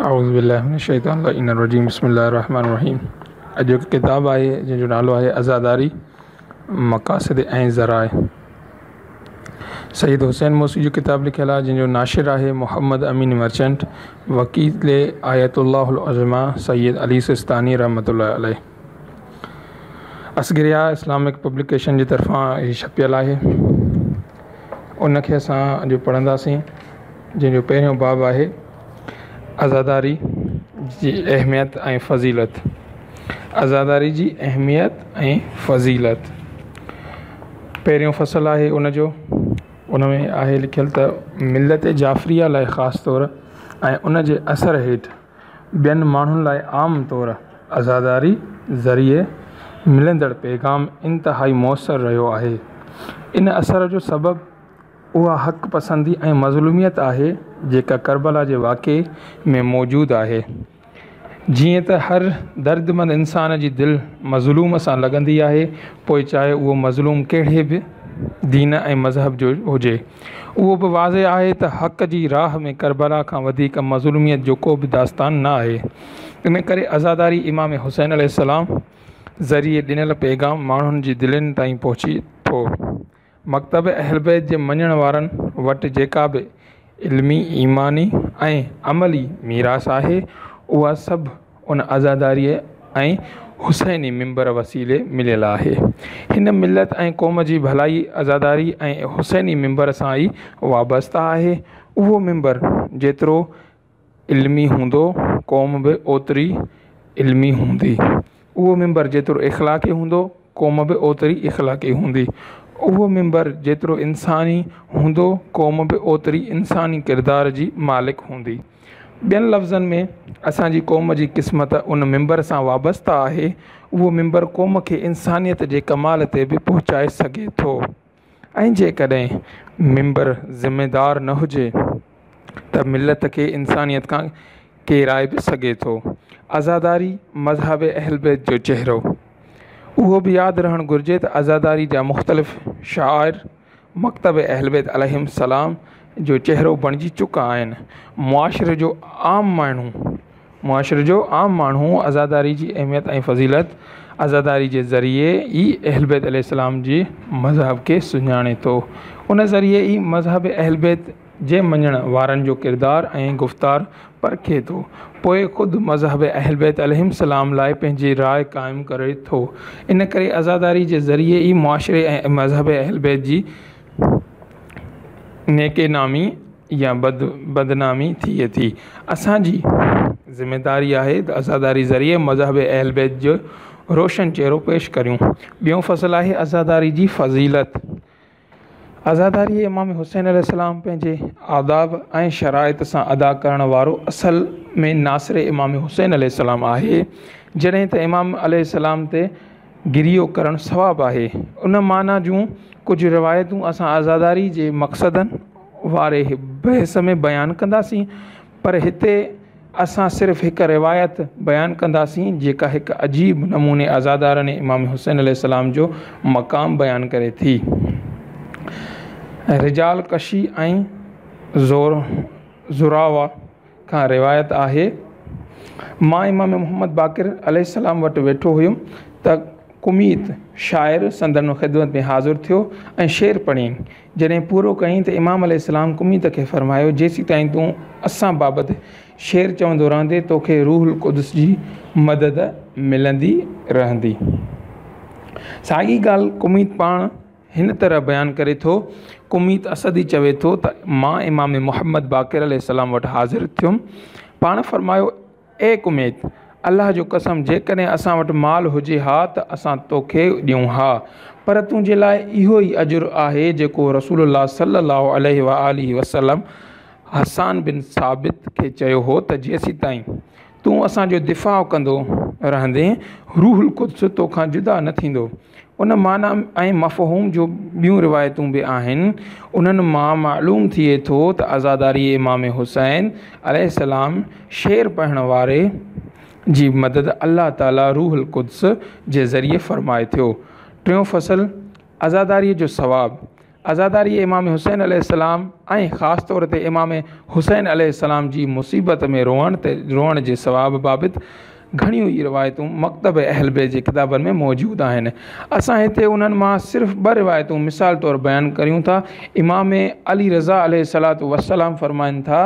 اعوذ بالله من الشيطان اللعين الرجيم بسم الله الرحمن الرحيم. اڄ هڪ ڪتاب آهي جنهن جو نالو آهي عزاداري مقاصد ۽ ذرائع. سيد حسين موسي جو ڪتاب لکيل آهي جنهن جو ناشر آهي محمد امين مرچنٽ، وڪيل آيت الله العظميٰ سيد علي سيستاني رحمة الله عليه. اصغريه اسلامڪ پبليڪيشن جي طرفان هي ڇپيل آهي. ان کي اسان اڄ پڙهنداسين جنهن جو پهريون باب آهي عزاداري جي اهميت ۽ فضيلت. عزاداري جي اهميت ۽ فضيلت پهريون فصل آهي ان جو. ان ۾ آهي لکيل ته ملت جعفريه لاء خاص طور ۽ ان جي اثر هيٺ ٻين ماڻهن لاء عام طور عزاداري ذريعي ملندڙ پيغام انتهائي موثر رهيو آهي. ان اثر جو سبب اها حق پسندي ۽ مظلوميت آهي جيڪا ڪربلا جي واقعي ۾ موجود آهي. جيئن ته هر دردمند انسان جي دل مظلوم سان لڳندي آهي، پوء چاهي اهو مظلوم ڪهڙي به دين ۽ مذهب جو هجي. اهو به واضح آهي ته حق جي راهه ۾ ڪربلا کان وڌيڪ مظلوميت جو ڪو به داستان نه آهي. ان ڪري عزاداري امام حسين عليه السلام ذريعي ڏنل پيغام ماڻهن جي دلين تائين پهچي ٿو. مڪتب اهلبيت جي مڃڻ وارن وٽ جيڪا به علمي، ايماني ۽ عملي ميراث آهي، اها سڀ ان عزاداريء ۽ حسيني منبر وسيلي مليل آهي. هن ملت ۽ قوم جي ڀلائي عزاداري ۽ حسيني منبر سان ئي وابسته آهي. اهو منبر جيترو علمي هوندو، قوم به اوتري علمي هوندي. اهو منبر جيترو اخلاقي هوندو، قوم به اوتري اخلاقي هوندي. اهو منبر جيترو انساني هوندو، قوم به اوتري انساني ڪردار جي مالڪ هوندي. ٻين لفظن ۾ اسان جي قوم جي قسمت ان منبر سان وابسته آهي. اهو منبر قوم کي انسانيت جي ڪمال تي به پهچائي سگهي ٿو. ۽ جيڪڏهن منبر ذميدار نه هجي ته ملت کي انسانيت کان ڪيرائي به سگهي ٿو. عزاداري مذهب اهلبيت جو چهرو. اهو به ياد رهڻ گهرجي ته عزاداري جا مختلف شعائر مڪتب اهلبيت عليهم السلام جو چهرو بڻجي چڪا آهن. معاشري جو عام ماڻهو معاشري جو عام ماڻهو عزاداري جي اهميت ۽ فضيلت عزاداري جي ذريعي ئي اهلبيت عليه السلام جي مذهب کي سڃاڻي ٿو. ان ذريعي ئي مذهب اهلبيت جي مڃڻ وارن جو ڪردار ۽ گفتار پرکي ٿو. پوء خود مذهب اهلبيت عليهم السلام لاء پنهنجي راء قائم ڪري ٿو. ان ڪري عزاداري جي ذريعي ئي معاشري ۽ مذهب اهلبيت جي نيڪ نامي يا بد بدنامي ٿئي ٿي. اسان جي ذميداري آهي ته عزاداري ذريعي مذهب اهل بيت جو روشن چهرو پيش ڪريون. ٻيون فصل آهي عزاداري جي فضيلت. عزاداري امام حسين عليه السلام پنهنجي آداب ۽ شرائط سان ادا ڪرڻ وارو اصل ۾ ناصر امام حسين عليه السلام آهي. جڏهن ته امام عليه السلام تي گريو ڪرڻ ثواب آهي. ان معنيٰ جون ڪجهه روايتون اسان عزاداري جي مقصدن واري بحث ۾ بيان ڪنداسين، پر هتي اسان صرف هڪ روايت بيان ڪنداسين، جيڪا هڪ عجيب نموني عزادارن امام حسين عليه السلام جو مقام بيان ڪري ٿي. رجال ڪشي ۽ زراوه کان روايت آهي، مان امام محمد باقر عليه السلام وٽ ويٺو هيم ته ڪميت شاعر سندن خدمت ۾ حاضر ٿيو ۽ شعر پڙهيائين. جڏهن پورو ڪيائين ته امام عليه السلام ڪميت کي فرمايو، جيسيتائين تون اسان بابت شعر چوندو رهندين توکي روح القدس جي مدد ملندي رهندي. ساڳي ڳالهه ڪميت پاڻ هن طرح بيان ڪري ٿو، ڪميت اسدي چوي ٿو ته مان امام محمد باقر عليه السلام وٽ حاضر ٿيم، پاڻ فرمايو، اي ڪميت! الله جو قسم جيڪڏهن اسان وٽ مال هجي ها ته اسان توکي ڏيون ها، پر تنهنجي لاء اهو ئي اجر آهي جيڪو رسول الله صلي الله عليه وآله وسلم حسان بن ثابت کي چيو هو ته جيسيتائين تون اسان جو دفاع ڪندو رهندين، روح القدس توکان جدا نه ٿيندو. ان معنيٰ ۽ مفهوم جون ٻيون روايتون به آهن، انهن مان معلوم ٿئي ٿو ته عزاداري امام حسين عليه السلام شعر پڙهڻ واري جي مدد الله تعاليٰ روح القدس جي ذريعي فرمائي ٿو. ٽيون فصل، عزاداريء جو ثواب. عزاداري امام حسين عليه السلام ۽ خاص طور تي امام حسين عليه السلام جي مصيبت ۾ روئڻ تي روئڻ جي ثواب بابت گهڻيون ئي روايتون مڪتب اهل بيت جي ڪتابن ۾ موجود آهن. اسان هتي انهن مان صرف ٻه روايتون مثال طور بيان ڪريون ٿا. امام علي رضا عليه الصلوة والسلام فرمائن ٿا،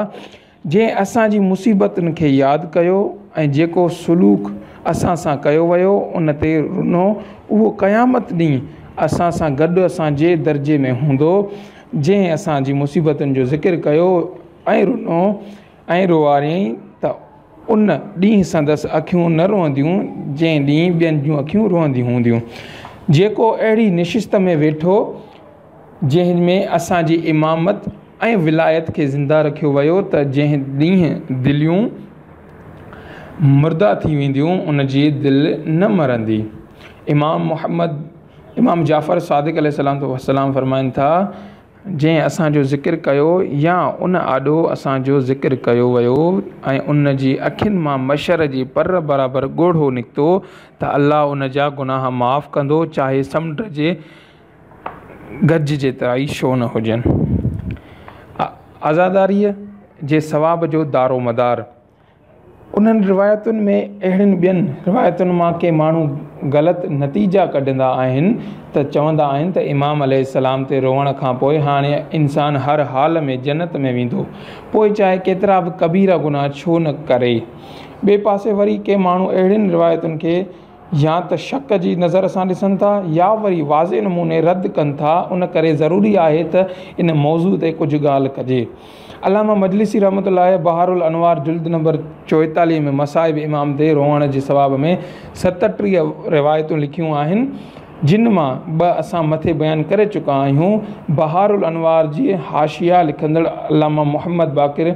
جنهن اسان جي مصيبتن کي ياد ڪيو ۽ جيڪو سلوڪ اسان سان ڪيو ويو ان تي رنو اهو قيامت ڏينهن اسان سان گڏ اسان جي درجي ۾ هوندو. جنهن اسان جي مصيبتن جو ذڪر ڪيو ۽ رنو ۽ روئاريائين ته ان ڏينهن سندس اکيون نه روئنديون جنهن ڏينهن ٻين جون اکيون روئنديون هونديون. جيڪو اهڙي نشست ۾ ويٺو جنهن ۾ اسان جي امامت ۽ ولايت کي زنده رکيو ويو ته جنهن ڏينهن دليون مرده ٿي وينديون ان جي دل نه مرندي. امام محمد امام جعفر صادق عليه السلام فرمائن ٿا، جنهن اسان جو ذڪر ڪيو يا ان آڏو اسان جو ذڪر ڪيو ويو ۽ ان جي اکين مان مڇر جي پر برابر ڳوڙهو نڪتو ته الله ان جا گناهه معاف ڪندو چاهي سمنڊ جي گج جيترا ئي ڇو نه هجن. عزاداريء جي ثواب جو دارومدار. انهن روايتن ۾ اهڙين ٻين روايتن مان ڪي ماڻهو غلط نتيجا ڪڍندا آهن ته چوندا آهن ته امام عليه السلام تي روئڻ کان پوء هاڻي انسان هر حال ۾ جنت ۾ ويندو پوء چاهي ڪيترا به ڪبيرا گناهه ڇو نه ڪري. ٻئي پاسي وري ڪي ماڻهو اهڙين روايتن کي يا ته شڪ جي نظر سان ڏسن ٿا يا وري واضح نموني رد ڪن ٿا، ان ڪري ضروري آهي ته ان موضوع تي ڪجهه ڳالهه ڪجي. علامه مجلسي رحمة الله عليه بحار الانوار جلد نمبر 44 ۾ مصائب امام تي روئڻ جي ثواب ۾ 37 روايتون لکيون آهن، جن مان ٻه اسان مٿي بيان ڪري چڪا آهيون. بحار الانوار جي حاشيه لکندڙ علامه محمد باقر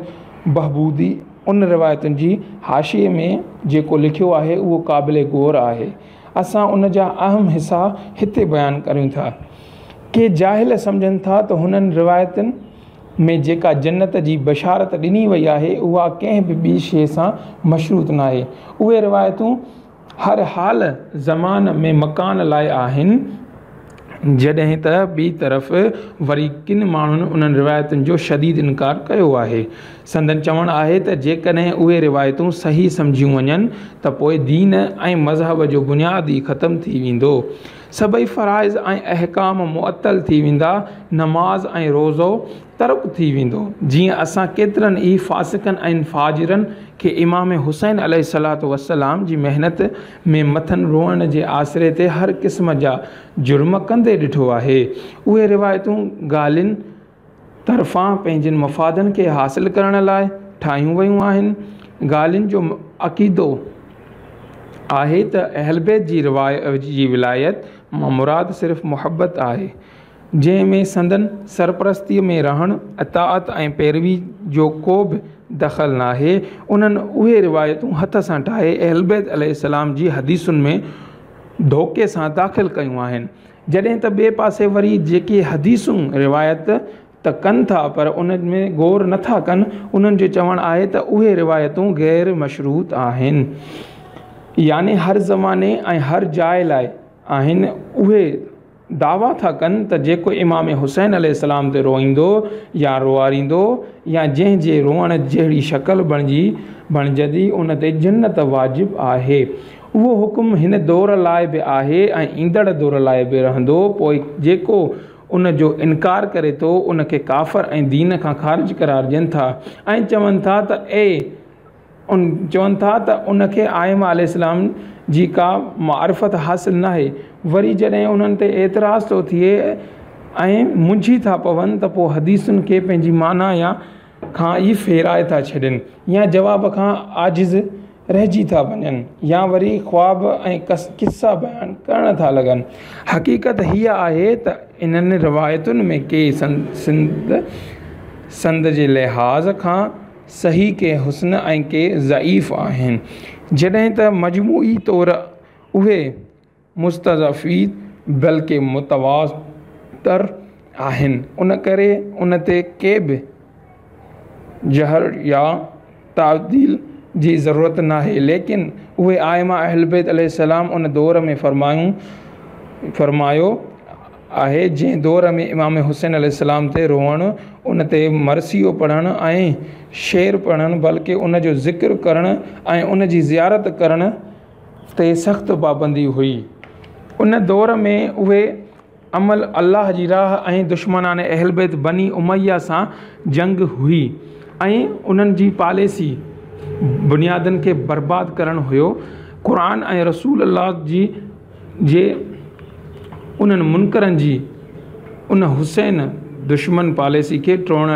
بهبودي، ان روايتن جي حاشيي ۾ جيڪو لکيو آهي اهو قابل غور آهي. اسان ان جا اهم حصا هتي بيان ڪريون ٿا. ڪي جاهل سمجهن ٿا ته هنن روايتن ۾ جيڪا جنت جي بشارت ڏني وئي آهي اها ڪنهن به ٻي شيء سان مشروط ناهي. اهي روايتون هر حال، زمان ۾ مڪان لاء آهن، جڏهن ته ٻي طرف وري ڪن ماڻهن انهن روايتن جو شديد انڪار ڪيو آهي. سندن چوڻ آهي ته جيڪڏهن اهي روايتون صحيح سمجهيون وڃن ته پوء دين ۽ مذهب جو بنياد ئي ختم ٿي ويندو. سڀئي فرائض ۽ احڪام معطل ٿي ويندا، نماز ۽ روزو ترڪ ٿي ويندو، جيئن اسان ڪيترن ئي فاسقن ۽ فاجرن کي امام حسين عليه الصلوة والسلام جي محنت ۾ مٿن روئڻ جي آسري تي هر قسم جا جرم ڪندي ڏٺو آهي. اهي روايتون غالين طرفان پنهنجن مفادن کي حاصل ڪرڻ لاء ٺاهيون ويون آهن. غالين جو عقيدو آهي ته اهلبيت جي ولايت مان مراد صرف محبت آهي. جنهن ۾ سندن سرپرستيء ۾ رهڻ، اطاعت ۽ پيروي جو ڪو به دخل ناهي. انهن اهي روايتون هٿ سان ٺاهي اهلبيت عليه السلام جي حديثن ۾ ڌوڪي سان داخل ڪيون آهن. جڏهن ته ٻئي پاسي وري جيڪي حديثون روايت ته ڪن ٿا پر انهن ۾ غور نه ٿا ڪن، انهن جو چوڻ آهي ته اهي روايتون غير مشروط آهن. يعني هر زماني ۽ هر جاء لاء آهن. اهي دعويٰ ٿا ڪن ته جيڪو امام حسين عليه السلام تي روئيندو يا روئاريندو يا جنهن جي روئڻ جهڙي شڪل بڻجي بڻجندي ان تي جنت واجب آهي. اهو حڪم هن دور لاء به آهي ۽ ايندڙ دور لاء به رهندو پوء جيڪو ان جو انڪار ڪري ٿو ان کي ڪافر ۽ دين کان خارج قرار ڏين ٿا ۽ چون ٿا ته اي ان چون ٿا ته ان کي ائمه عليه السلام جي ڪا معرفت حاصل ناهي وري جڏهن انهن تي اعتراض ٿو ٿئي ۽ منجهي ٿا پون ته پوء حديثن کي پنهنجي معنيٰ يا کان ئي ڦيرائي ٿا ڇڏين يا جواب کان عاجز رهجي ٿا وڃن يا وري خواب ۽ قصا بيان ڪرڻ ٿا لڳن. حقيقت هيء آهي ته انهن روايتن ۾ ڪي سند جي لحاظ کان صحيح ڪي حسن ۽ ڪي ضعيف آهن، جڏهن ته مجموعي طور اهي مستضعفين بلڪه متواتر آهن، ان ڪري ان تي ڪي به جرح يا تعديل جي ضرورت ناهي، ليڪن اهي ائمه اهلبيت عليه السلام ان دور ۾ فرمايو. آهي، جنهن دور ۾ امام حسين عليه السلام تي روئڻ، ان تي مرثيو پڙهڻ ۽ شعر پڙهڻ بلڪه ان جو ذڪر ڪرڻ ۽ ان جي زيارت ڪرڻ تي سخت پابندي هئي. ان دور ۾ اهي عمل الله جي راهه ۽ دشمنان اهلبيت بني اميه سان جنگ هئي ۽ انهن جي پاليسي بنيادن کي برباد ڪرڻ هيو. قرآن ۽ رسول الله جي جي انهن منڪرن جي ان حسين دشمن پاليسي کي ٽوڙڻ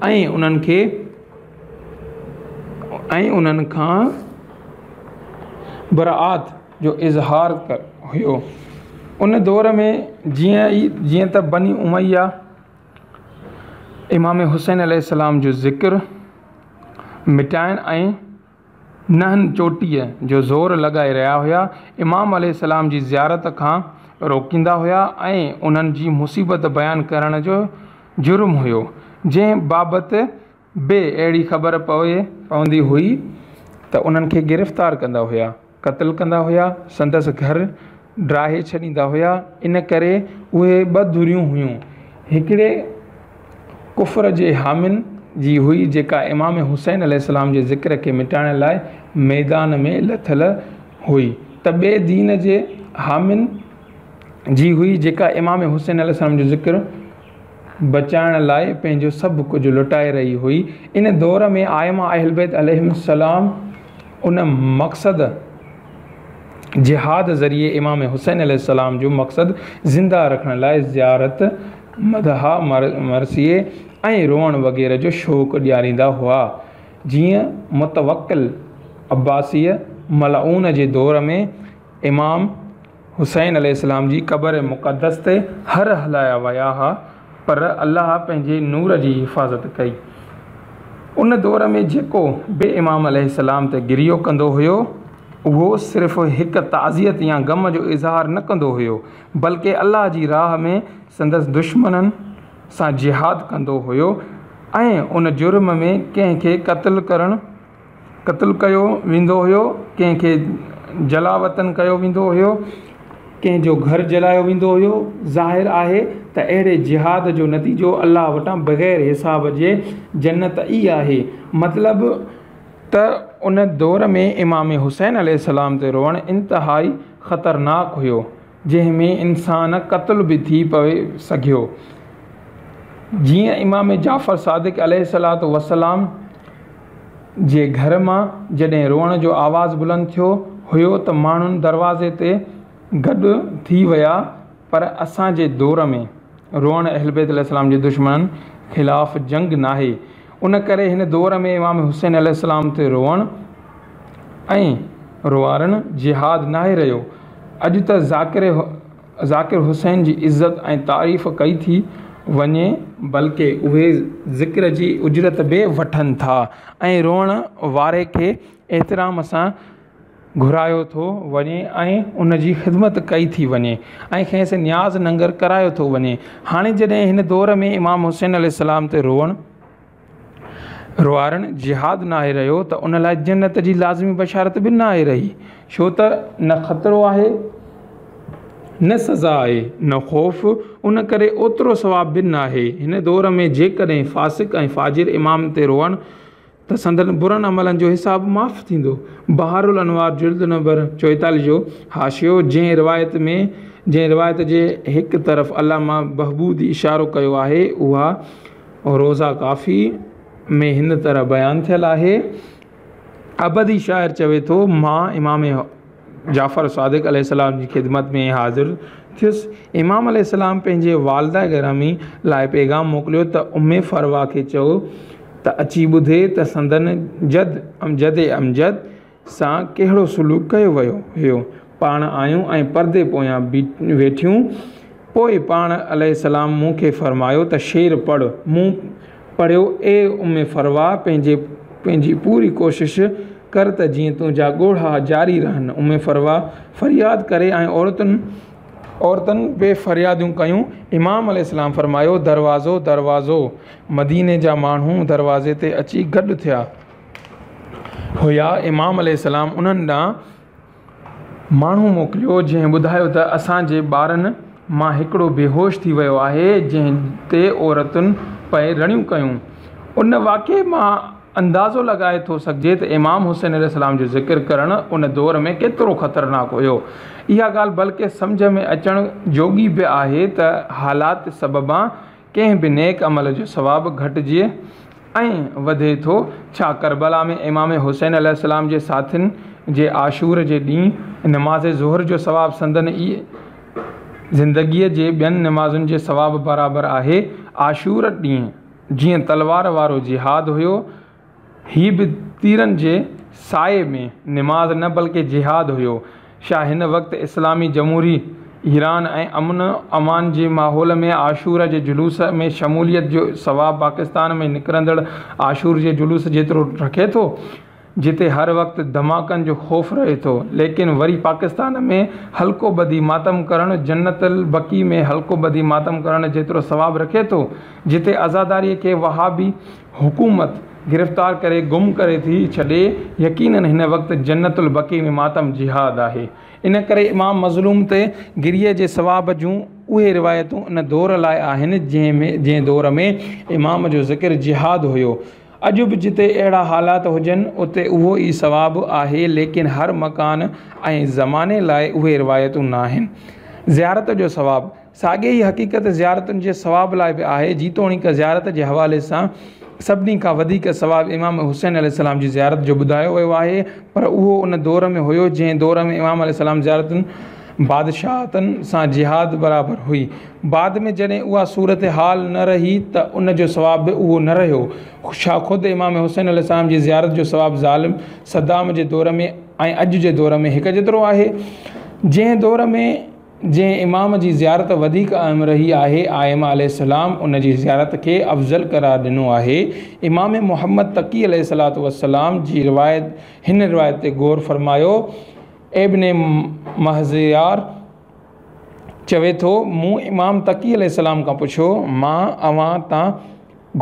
۽ انهن کي ۽ انهن کان براءت جو اظهار هيو. ان دور ۾ جيئن ئي جيئن ته بني اميه امام حسين عليه السلام جو ذڪر مٽائڻ ۽ ننهن چوٽيء جو زور لڳائي رهيا هيا، امام عليه السلام جي زيارت کان روڪيندا هيا ۽ انهن جي مصيبت بيان ڪرڻ جو جرم هيو، جنهن بابت به اهڙي خبر پوي پوندي هئي ته انهن کي گرفتار ڪندا هيا، قتل ڪندا هيا، سندس گهر ڊاهي ڇڏيندا هيا، ان ڪري اهي ٻه ڌريون هيون، هڪڙي ڪفر جي حامين جي هئي جيڪا امام حسين عليه السلام جي ذڪر کي مٽائڻ لاء ميدان ۾ لٿل هئي ته ٻي دين جي حامين جي هئي جيڪا امام حسين عليه السلام جو ذڪر بچائڻ لاء پنهنجو سڀ ڪجهه لٽائي رهي هئي. ان دور ۾ ائمه اهلبيت عليهم السلام ان مقصد جهاد ذريعي امام حسين عليه السلام جو مقصد زنده رکڻ لاء زيارت، مدح، مرثيي ۽ روئڻ وغيره جو شوق ڏياريندا هئا. جيئن متوڪل عباسيء ملعون جي دور ۾ امام حسين عليه السلام جي قبر مقدس تي هر هلايا ويا ها پر الله پنهنجي نور جي حفاظت ڪئي. ان دور ۾ جيڪو به امام عليه السلام تي گريو ڪندو هيو اهو صرف هڪ تعزيت يا غم جو اظهار نه ڪندو هيو بلڪه الله جي راهه ۾ سندس دشمنن سان جهاد ڪندو هيو ۽ ان جرم ۾ ڪنهن کي قتل ڪرڻ قتل ڪيو ويندو هيو، ڪنهن کي جلاوطن ڪيو ويندو هيو، ڪنهن جو گهر جلايو ويندو هيو، ظاهر آهي ته اهڙي جهاد جو نتيجو الله وٽان بغير حساب جي جنت ئي آهي. مطلب ته ان دور ۾ امام حسين عليه السلام تي روئڻ انتهائي خطرناڪ هيو، جنهن ۾ انسان قتل به ٿي پئي سگهيو. جيئن امام جعفر صادق عليه الصلوة والسلام جي گهر مان جڏهن روئڻ جو آواز بلند ٿيو هيو ته ماڻهن دروازي تي گڏ ٿي ويا پر اسان جي دور ۾ روئڻ اهلبيت عليه السلام جي دشمنن خلاف جنگ ناهي ان ڪري هن دور ۾ امام حسين عليه السلام تي روئڻ ۽ روئارڻ جهاد ناهي رهيو اڄ ته ذاڪر ذاڪر حسين جي عزت ۽ تعريف ڪئي ٿي وڃي، بلڪه اهي ذڪر جي اجرت به وٺن ٿا ۽ روئڻ واري کي احترام سان گهرايو ٿو وڃي ۽ ان جي خدمت ڪئي ٿي وڃي ۽ کيس نياز ننگر ڪرايو ٿو وڃي. هاڻي جڏهن هن دور ۾ امام حسين عليه السلام تي روئڻ روئارڻ جهاد ناهي رهيو ته ان لاء جنت جي لازمي بشارت به ناهي رهي، ڇو ته نه خطرو آهي، نه سزا آهي، نه خوف، ان ڪري اوترو ثواب به ناهي. هن دور ۾ جيڪڏهن فاسق ۽ فاجر امام تي روئن ته سندن برن عملن جو حساب معاف ٿيندو. بحار الانوار جلد نمبر 44 جو حاشيو، جنهن روايت ۾ جنهن روايت جي هڪ طرف علامه بهبودي اشارو ڪيو آهي، اها روضه ڪافي ۾ هن طرح بيان ٿيل آهي، ابدي شاعر چوي ٿو، مان امام جعفر صادق عليه السلام جي خدمت ۾ حاضر ٿيس. امام عليه السلام پنهنجي والده گرامي لاء پيغام موڪليو ته ام فروه کي چئو ته اچي ٻڌي ته سندن جد جد امجد سان ڪهڙو سلوڪ ڪيو ويو هيو. پاڻ آيون ۽ پردي پويان ويٺيون. پوء پاڻ عليه السلام مون کي فرمايو ته شعر پڙهه. مون پڙهيو، اي ام فروه پنهنجي پنهنجي پوري ڪوشش ڪر ته جيئن تنهنجا ڳوڙها جاري رهن. ام فروه فرياد ڪري ۽ عورتن عورتن به فريادون ڪيون. امام عليه السلام فرمايو، دروازو، دروازو. مديني جا ماڻهو دروازي تي اچي گڏ ٿيا. هيا، امام عليه السلام انهن ڏانهن ماڻهو موڪليو جنهن ٻڌايو ته اسان جي ٻارن مان هڪڙو بيهوش ٿي ويو آهي، جنهن تي عورتن پئي رڙيون ڪيون. ان واقعي مان اندازو لڳائي ٿو سگهجي ته امام حسين عليه السلام جو ذڪر ڪرڻ ان دور ۾ ڪيترو خطرناڪ هيو. اها ڳالهه بلڪه سمجهه ۾ اچڻ جوڳي به آهي ته حالات سببان ڪنهن به نيڪ عمل جو ثواب گهٽجي ۽ وڌي ٿو. ڇا ڪربلا ۾ امام حسين عليه السلام جي ساٿين جي عاشور جي ڏينهن نماز ظهر جو ثواب سندن ئي زندگيء جي ٻين نمازن جي ثواب برابر آهي؟ عاشور ڏينهن جيئن تلوار وارو جهاد هيو، هي به تيرن جي سائي ۾ نماز نه بلڪه جهاد هيو. ڇا هن وقت اسلامي جمهوري ايران ۽ امن امان جي ماحول ۾ عاشور جي جلوس ۾ شموليت جو ثواب پاڪستان ۾ نڪرندڙ عاشور جي جلوس جيترو رکي ٿو؟ جتي هر وقت ڌماڪن جو خوف رهي ٿو، ليڪن وري پاڪستان ۾ حلقو ٻڌي ماتم ڪرڻ جنت البقيع ۾ حلقو ٻڌي ماتم ڪرڻ جيترو ثواب رکي ٿو، جتي عزاداري کي وهابي حڪومت گرفتار ڪري گم ڪري ٿي ڇڏي، يقينن هن وقت جنت البقيع ۾ ماتم جهاد آهي. ان ڪري امام مظلوم تي گريي جي ثواب جون اهي روايتون ان دور لاء آهن، جنهن دور ۾ امام جو ذڪر جهاد هيو. اڄ به جتي اهڙا حالات هجن اتي اهو ئي ثواب آهي ليڪن هر مڪان ۽ زماني لاء اهي روايتون ناهن. زيارت جو ثواب، ساڳي ئي حقيقت زيارتن جي ثواب لاء به آهي جيتوڻيڪ زيارت جي حوالي سان سڀني کان وڌيڪ ثواب امام حسين عليه السلام جي زيارت جو ٻڌايو ويو آهي پر اهو ان دور ۾ هيو جنهن دور ۾ امام عليه السلام زيارتن بادشاهتن سان جهاد برابر هئي. بعد ۾ جڏهن اها صورتحال نه رهي ته ان جو ثواب به اهو نه رهيو. ڇا خود امام حسين عليه السلام جي زيارت جو ثواب ظالم صدام جي دور ۾ ۽ اڄ جي دور ۾ هڪ جيترو آهي؟ جنهن دور ۾ جنهن امام جي زيارت وڌيڪ اهم رهي آهي ائمه عليه السلام ان جي زيارت کي افضل قرار ڏنو آهي. امام محمد تقي عليه الصلوة والسلام جي روايت هن روايت تي غور فرمايو. ابن مهزيار چوي ٿو، مون امام تقي عليه السلام کان پڇيو، مان اوهان تان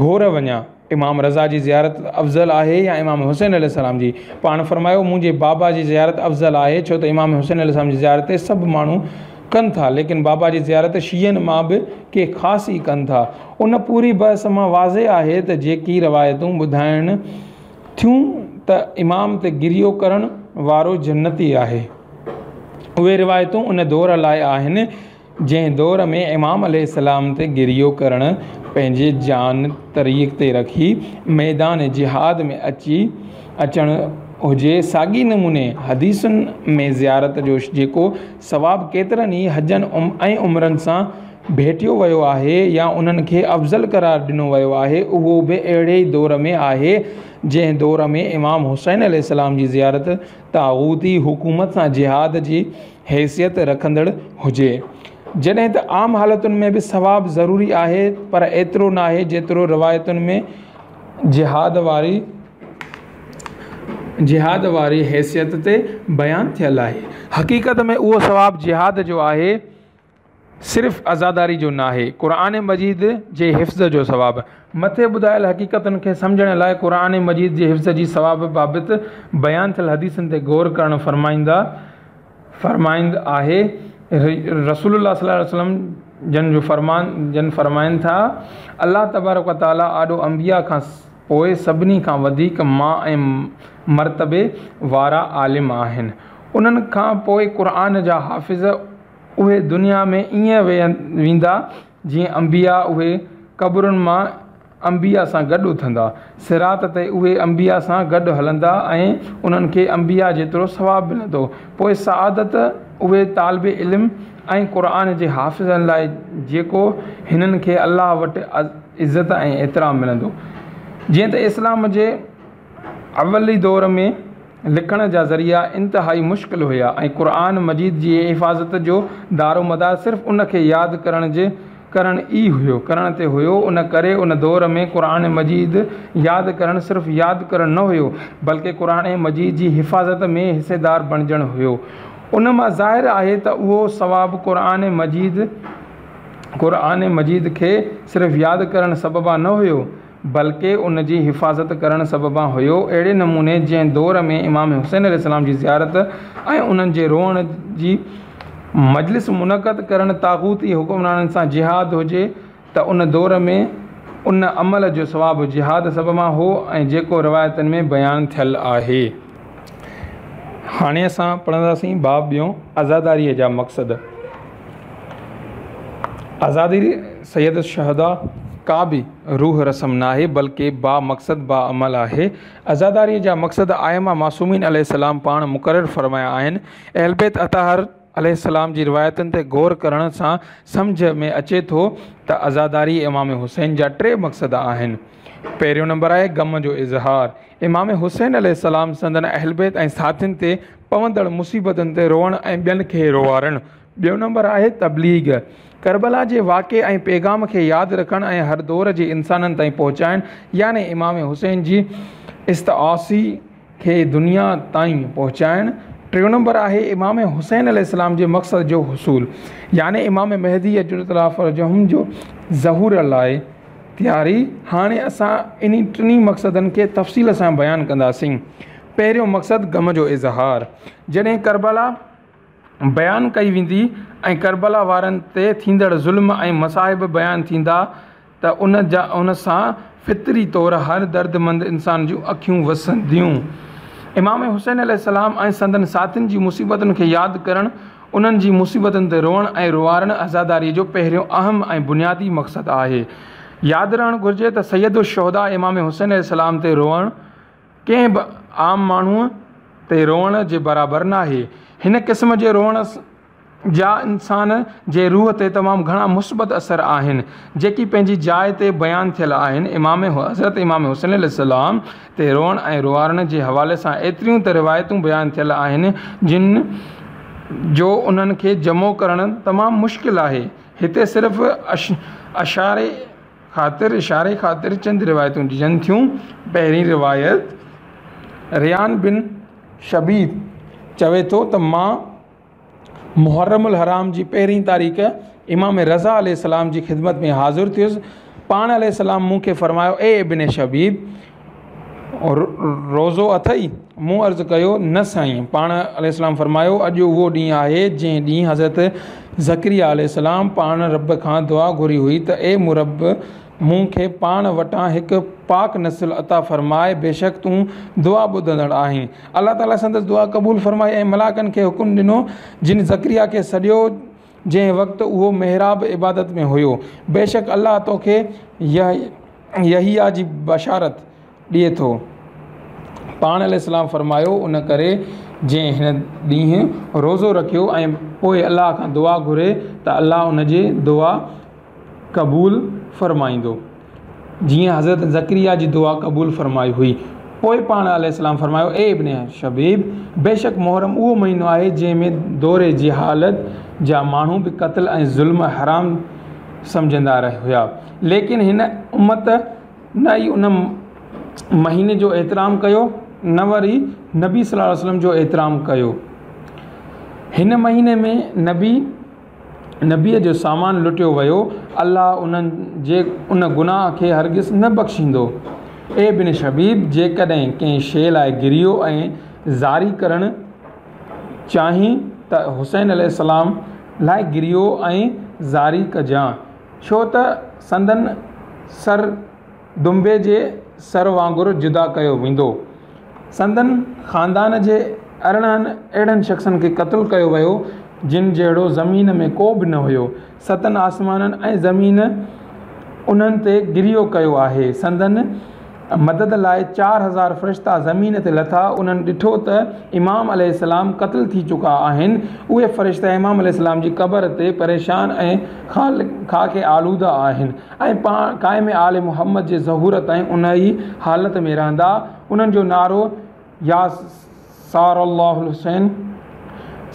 گهور وڃان، امام رضا جي زيارت افضل آهي يا امام حسين عليه السلام جي؟ پاڻ فرمايو، منهنجي بابا جي زيارت افضل آهي، ڇو ته امام حسين عليه السلام جي زيارت سڀ ماڻهو ڪن ٿا، ليڪن بابا جي زيارت شيعن مان به ڪي خاص ئي ڪن ٿا. ان پوري بحث مان واضح آهي ته جيڪي روايتون ٻڌائن ٿيون ته امام تي گريو ڪرڻ وارو جنتي آهي. اهي روايتون ان دور لاء آهن، جنهن دور ۾ امام عليه السلام تي گريو ڪرڻ پنهنجي جان تريء تي رکي ميدان جهاد ۾ اچي اچڻ هجي. ساڳئي نموني حديثن ۾ زيارت جو جيڪو ثواب ڪيترن ئي حجن ۽ عمرن سان ڀيٽيو ويو آهي يا انهن کي افضل قرار ڏنو ويو آهي اهو به اهڙي ئي دور ۾ آهي جنهن دور ۾ امام حسين عليه السلام جي زيارت طاغوتي حڪومت سان جهاد جي حيثيت رکندڙ هجي. جڏهن ته عام حالتن ۾ به ثواب ضروري آهي پر ايترو ناهي جيترو روايتن ۾ جهاد واري جهاد واري حيثيت تي بيان ٿيل آهي. حقيقت ۾ اهو ثواب جهاد جو آهي. صرف عزاداري جو ناهي، قرآن مجيد جي حفظ جو ثواب. مٿي ٻڌايل حقيقتن کي سمجهڻ لاء قرآن مجيد جي حفظ جي ثواب بابت بيان ٿيل حديثن تي غور ڪرڻ فرمائيندا فرمائند آهي. رسول الله صلي الله عليه وسلم جن جو فرمان جن فرمائن ٿا، الله تبارڪ و تعالي آڏو انبياء کان پوء سڀني کان وڌيڪ مان ۽ مرتبي وارا عالم آهن. انهن کان پوء قرآن جا حافظ اهي دنيا ۾ ائين ويندا جيئن انبياء اهي قبرن مان انبياء سان گڏ اٿندا. صراط تي اهي انبياء سان گڏ هلندا ۽ انهن کي انبياء جيترو ثواب ملندو. پوء سعادت اهي طالب علم ۽ قرآن جي حافظن لاء جيڪو هنن کي الله وٽ عزت ۽ احترام ملندو. جيئن ته اسلام جي اولي دور ۾ لکڻ جا ذريعا انتهائي مشڪل هيا ۽ قرآن مجيد جي حفاظت جو دارومدار صرف ان کي ياد ڪرڻ جي ڪرڻ ئي هيو ڪرڻ تي هيو ان ڪري ان دور ۾ قرآن مجيد ياد ڪرڻ صرف ياد ڪرڻ نه هيو بلڪه قرآن مجيد جي حفاظت ۾ حصيدار بڻجڻ هيو ان مان ظاهر آهي ته اهو ثواب قرآن مجيد قرآن مجيد کي صرف ياد ڪرڻ سببان نه هيو بلڪه ان جي حفاظت ڪرڻ سببان هيو. اهڙي نموني جنهن دور ۾ امام حسين عليه السلام جي زيارت ۽ انهن جي روئڻ جي مجلس منعقد ڪرڻ طاغوتي حڪمرانن سان جهاد هجي ته ان دور ۾ ان عمل جو ثواب جهاد سببان هو ۽ جيڪو روايتن ۾ بيان ٿيل آهي. هاڻي اسان پڙهنداسين باب ٻيون عزاداريء جا مقصد. عزاداري سيد الشهداء ڪا به روح رسم ناهي بلڪه با مقصد با عمل آهي. عزاداريء جا مقصد ائمه معصومين عليه السلام پاڻ مقرر فرمايا آهن. اهلبيت اطهار عليه السلام جي روايتن تي غور ڪرڻ سان سمجهه ۾ اچي ٿو ته عزاداري امام حسين جا ٽي مقصد آهن. پهريون نمبر آهي غم جو اظهار. امام حسين عليه السلام سندن اهلبيت ۽ ساٿين تي پوندڙ مصيبتن تي روئڻ ۽ ٻين کي روئارڻ. ٻيو نمبر آهي تبليغ. ڪربلا جي واقعي ۽ پيغام کي ياد رکڻ ۽ هر دور جي انسانن تائين پهچائڻ يعني امام حسين جي استغاثي کي دنيا تائين پهچائڻ. ٽيون نمبر آهي امام حسين عليه السلام جي مقصد جو حصول يعني امام مهدي عجل الله فرجهم جو ظهور لاء تياري. هاڻي اسان انهي ٽنهي مقصدن کي تفصيل سان بيان ڪنداسين. پهريون مقصد غم جو اظهار. جڏهن ڪربلا بيان ڪئي ويندي ۽ ڪربلا وارن تي ٿيندڙ ظلم ۽ مصائب بيان ٿيندا ته ان جا ان سان فطري طور هر دردمند انسان جون اکيون وسنديون. امام حسين عليه السلام ۽ سندن ساٿين جي مصيبتن کي ياد ڪرڻ، انهن جي مصيبتن تي روئڻ ۽ روئارڻ عزاداريء جو پهريون اهم ۽ بنيادي مقصد آهي. ياد رهڻ گهرجي ته سيد الشهداء امام حسين عليه السلام تي روئڻ ڪنهن به عام ماڻهوء تي روئڻ جي برابر ناهي. هن قسم جي روئڻ جا انسان جي روح تي تمام گهڻا مثبت اثر آهن، جيڪي پنهنجي جاء تي بيان ٿيل آهن. امام حضرت امام حسين عليه السلام تي روئڻ ۽ روئارڻ جي حوالي سان ايتريون ته روايتون بيان ٿيل آهن، جن جو انهن کي جمع ڪرڻ تمام مشڪل آهي. هتي صرف اشاري خاطر اشاري خاطر چند روايتون ڏجن ٿيون. پهرين روايت، ريان بن شبيب چوي ٿو ته مان محرم الحرام جي پهرين تاريخ امام رضا عليه السلام جي خدمت ۾ حاضر ٿيس. پاڻ عليه السلام مون کي فرمايو، اي ابن شبيب! روزو اٿئي؟ مون عرض ڪيو، نه سائين. پاڻ عليه السلام فرمايو، اڄ اهو ڏينهن آهي، جنهن ڏينهن حضرت زڪريا عليه السلام پاڻ رب کان دعا گهري هئي ته اي مون رب! مون کي پاڻ وٽان هڪ پاڪ نسل عطا فرماء، بيشڪ تون دعا ٻڌندڙ آهين. الله تعاليٰ سندس دعا قبول فرمائي ۽ ملائڪن کي حڪم ڏنو، جن زڪريا کي سڏيو، جنهن وقت اهو محراب عبادت ۾ هيو. بيشڪ الله توکي يحيٰ جي بشارت ڏئي ٿو. پاڻ عليه السلام فرمايو، ان ڪري جنهن هن ڏينهن روزو رکيو ۽ پوء الله کان دعا گهري ته الله ان جي دعا قبول فرمائيندو، جيئن حضرت زڪريا جي دعا قبول فرمائي هئي. پوء پاڻ عليه السلام فرمايو، اي ابن شبيب! بيشڪ محرم اهو مهينو آهي، جنهن ۾ دور جهالت جا ماڻهو به قتل ۽ ظلم حرام سمجهندا هيا، ليڪن هن امت نه ئي ان مهيني جو احترام ڪيو، نه وري نبي صلي الله عليه وسلم جو احترام ڪيو. هن مهيني ۾ نبي. نبيء جو سامان لٽيو ويو، الله انهن جي ان گناهه کي هرگز نه بخشيندو. اي ابن شبيب! جيڪڏهن ڪنهن شيء لاء گريو ۽ زاري ڪرڻ چاهين ته حسين عليه السلام لاء گريو ۽ زاري ڪجان، ڇو ته سندن سر دنبي جي سر وانگر جدا ڪيو ويندو. سندن خاندان جي 18 اهڙن شخصن کي قتل ڪيو ويو، جن جهڙو زمين ۾ ڪو به نه هيو. ستن آسمانن ۽ زمين انهن تي گريو ڪيو آهي. سندن مدد لاء 4000 فرشتا زمين تي لٿا. انهن ڏٺو ته امام عليه السلام قتل ٿي چڪا آهن. اهي فرشتا امام عليه السلام جي قبر تي پريشان ۽ خاڪ آلوده آهن. ۽ پاڻ قائم آل محمد جي ظهور تائين انهيء حالت ۾ رهندا. انهن جو نعرو يا ثار الله الحسين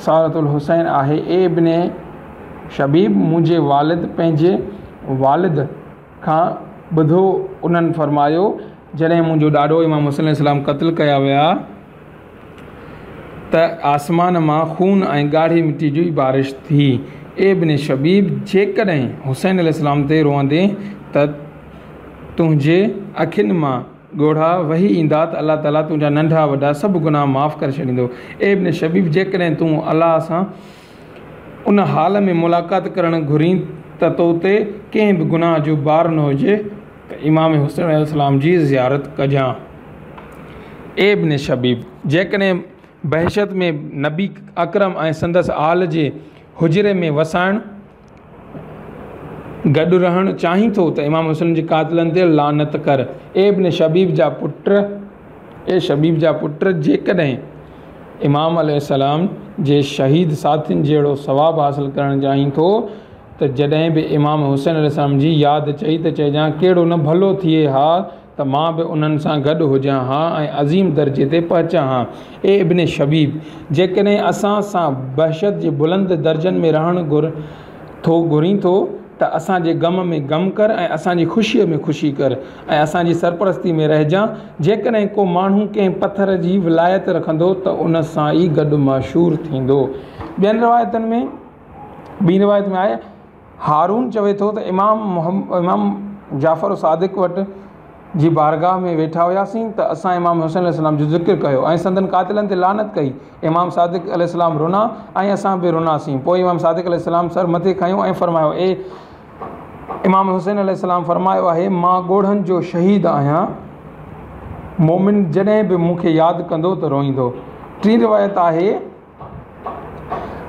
ثارة الحسين آهي. اي ابن شبيب! منهنجي والد پنهنجي والد کان ٻڌو انهن فرمايو، جڏهن منهنجو ڏاڏو امام حسين عليه السلام قتل ڪيا ويا ته آسمان مان خون ۽ ڳاڙهي مٽي جي بارش ٿي. اي ابن شبيب! جيڪڏهن حسين عليه السلام تي روئندين ته تنهنجي اکين مان ڳوڙها وهي ايندا ته الله تعاليٰ تنهنجا ننڍا وڏا سڀ گناهه معاف ڪري ڇڏيندو. اي ابن شبيب! جيڪڏهن تون الله سان ان حال ۾ ملاقات ڪرڻ گهرين ته تو تي ڪنهن به گناهه جو بار نه هجي ته امام حسين عليه السلام جي زيارت ڪجان. اي ابن شبيب! جيڪڏهن بهشت ۾ نبي اڪرم ۽ سندس آل جي حجري ۾ وسائڻ، گڏ رهڻ، چاهين ٿو ته امام حسين جي قاتلن تي لعنت ڪر. اي ابن شبيب جا پٽ! اي شبيب جا پٽ! جيڪڏهن امام عليه السلام جي شهيد ساٿين جهڙو ثواب حاصل ڪرڻ چاهين ٿو ته جڏهن به امام حسين عليه السلام جي ياد اچئي ته چئجان ڪهڙو نه ڀلو ٿئي ها ته مان به انهن سان گڏ هجان ها ۽ عظيم درجي تي پهچان ها. اي ابن شبيب! جيڪڏهن اسان سان بهشت جي بلند درجن ۾ رهڻ ٿو گهرين ٿو ته اسان جي غم ۾ غم ڪر ۽ اسان جي خوشيء ۾ خوشي ڪر ۽ اسان جي سرپرستي ۾ رهجان. جيڪڏهن ڪو ماڻهو ڪنهن پٿر جي ولايت رکندو ته ان سان ئي گڏ محشور ٿيندو. ٻين روايتن ۾ ٻي روايت ۾ آهي. هارون چوي ٿو ته امام امام جعفر صادق وٽ جي بارگاهه ۾ ويٺا هياسين ته اسان امام حسين عليه السلام جو ذڪر ڪيو ۽ سندن قاتلن تي لعنت ڪئي. امام صادق عليه السلام رنا ۽ اسان به رناسين. پوء امام صادق عليه السلام سر مٿي کنيو ۽ فرمايو، اي امام حسين عليه السلام فرمايو آهي، مان ڳوڙهن جو شهيد آهيان، مومن جڏهن به مون کي ياد ڪندو ته روئيندو. ٽين روايت آهي.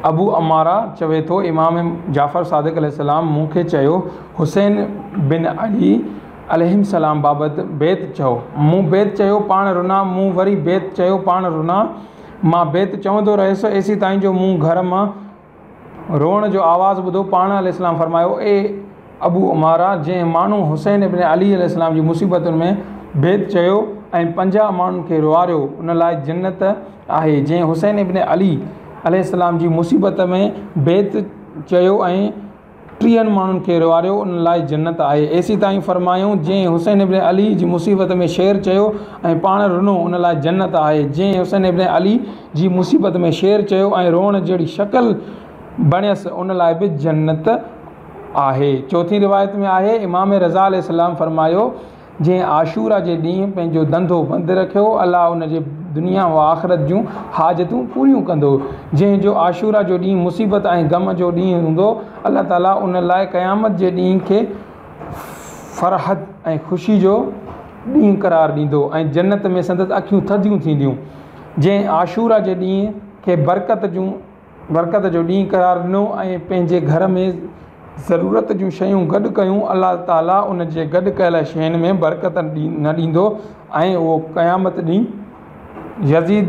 ابو عماره چوي ٿو، امام جعفر صادق عليه السلام مون کي چيو، حسين بن علي عليهم السلام بابت بيت چئو. مون بيت چيو، پاڻ رنا، مون وري بيت چيو، پاڻ رنا. مان بيت چوندو رهيس، ايسيتائين جو مون گهر مان روئڻ جو آواز ٻڌو، پاڻ عليه السلام فرمايو، اي ابو عماره! جنهن ماڻهو حسين ابن علي عليه السلام جي مصيبتن ۾ بيت چيو ۽ 50 ماڻهن کي روئاريو، ان لاء جنت آهي، جنهن حسين ابن علي عليه السلام جي مصيبت ۾ بيت چيو ۽ 30 ماڻهن کي روئاريو، ان لاء جنت آهي. ايسيتائين فرمايائون، جنهن حسين ابن علي جي مصيبت ۾ شعر چيو ۽ پاڻ رنو، ان لاء جنت آهي، جنهن حسين ابن علي جي مصيبت ۾ شعر چيو ۽ روئڻ جهڙي شڪل بڻيس، ان لاء به جنت آهي. چوٿين روايت ۾ آهي، امام رضا عليه السلام فرمايو، جنهن عاشورا جي ڏينهن پنهنجو ڌنڌو بند رکيو، الله ان جي دنيا و آخرت جون حاجتون پوريون ڪندو. جنهن جو عاشورا جو ڏينهن مصيبت ۽ غم جو ڏينهن هوندو، الله تعالي ان لاء قيامت جي ڏينهن کي فرحت ۽ خوشي جو ڏينهن قرار ڏيندو ۽ جنت ۾ سندس اکيون ٿڌيون ٿينديون. جنهن عاشورا جي ڏينهن کي برڪت جون برڪت جو ڏينهن قرار ڏنو ۽ پنهنجي گهر ۾ ضرورت جون شيون گڏ ڪيون، الله تعالي ان جي گڏ ڪيل شين ۾ برڪت نه ڏيندو ۽ اهو قيامت ڏينهن يزيد،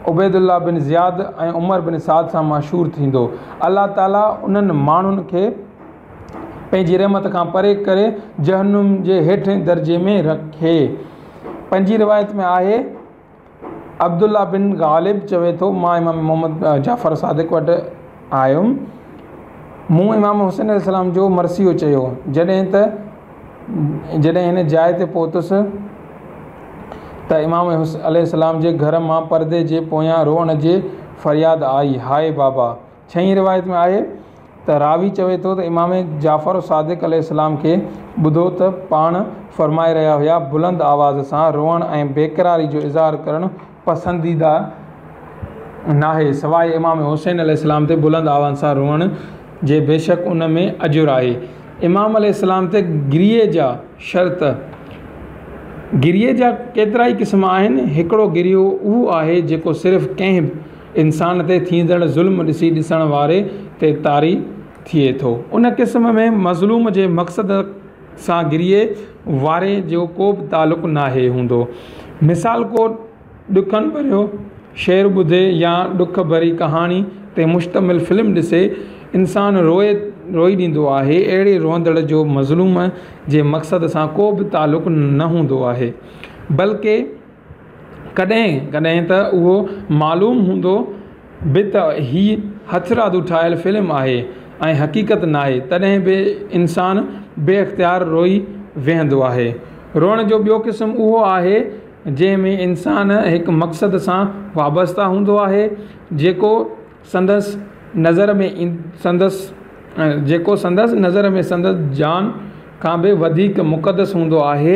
عبيدالله بن زياد ۽ عمر بن سعد سان محشور ٿيندو. الله تعالي انهن ماڻهن کي پنهنجي رحمت کان پري ڪري جهنم جي هيٺين درجي ۾ رکي. پنجين روايت ۾ آهي، عبدالله بن غالب چوي ٿو، مان امام محمد جعفر صادق وٽ آيم، مون امام حسين عليه السلام جو مرثيو چيو، جڏهن ته جڏهن هن جاء تي پهتس ته امام عليه السلام جي گهر مان پردي جي پويان روئڻ جي فرياد آئي، هاء بابا! ڇهين روايت ۾ آهي ته راوي چوي ٿو ته امام جعفر صادق عليه السلام کي ٻڌو ته پاڻ فرمائي رهيا هيا، بلند آواز سان روئڻ ۽ بيقراري جو اظهار ڪرڻ پسنديده ناهي سواء امام حسين عليه السلام تي بلند آواز سان روئڻ جي بيشڪ ان ۾ اجر آهي. امام عليه السلام تي گريي جا شرط، گريي جا ڪيترائي قسم آهن، هڪڙو گريو اهو آهي جيڪو صرف ڪنهن انسان تي ٿيندڙ ظلم ڏسي ڏسڻ واري تي طاري ٿئي ٿو. ان قسم ۾ مظلوم جي مقصد سان گريي واري جو ڪو به تعلق ناهي هوندو. مثال ڪو ڏکن ڀريو شعر ٻڌي يا ڏک ڀري ڪهاڻي تي مشتمل فلم ڏسي انسان روئي روئي ڏيندو آهي. اهڙي روئندڙ جو مظلوم جي مقصد سان ڪو به تعلق نه هوندو آهي. بلڪه ڪڏهن ڪڏهن ته اهو معلوم هوندو به ته هي هٿرادو ٺاهيل فلم آهي ۽ حقيقت ناهي تڏهن به انسان بي اختيار روئي ويهندو آهي. روئڻ جو ٻيو قسم اهو آهي جنهن ۾ انسان هڪ مقصد سان وابسته هوندو آهي جيڪو سندس نظر ۾ سندس جيڪو سندس نظر ۾ سندس جان کان به وڌيڪ مقدس هوندو آهي.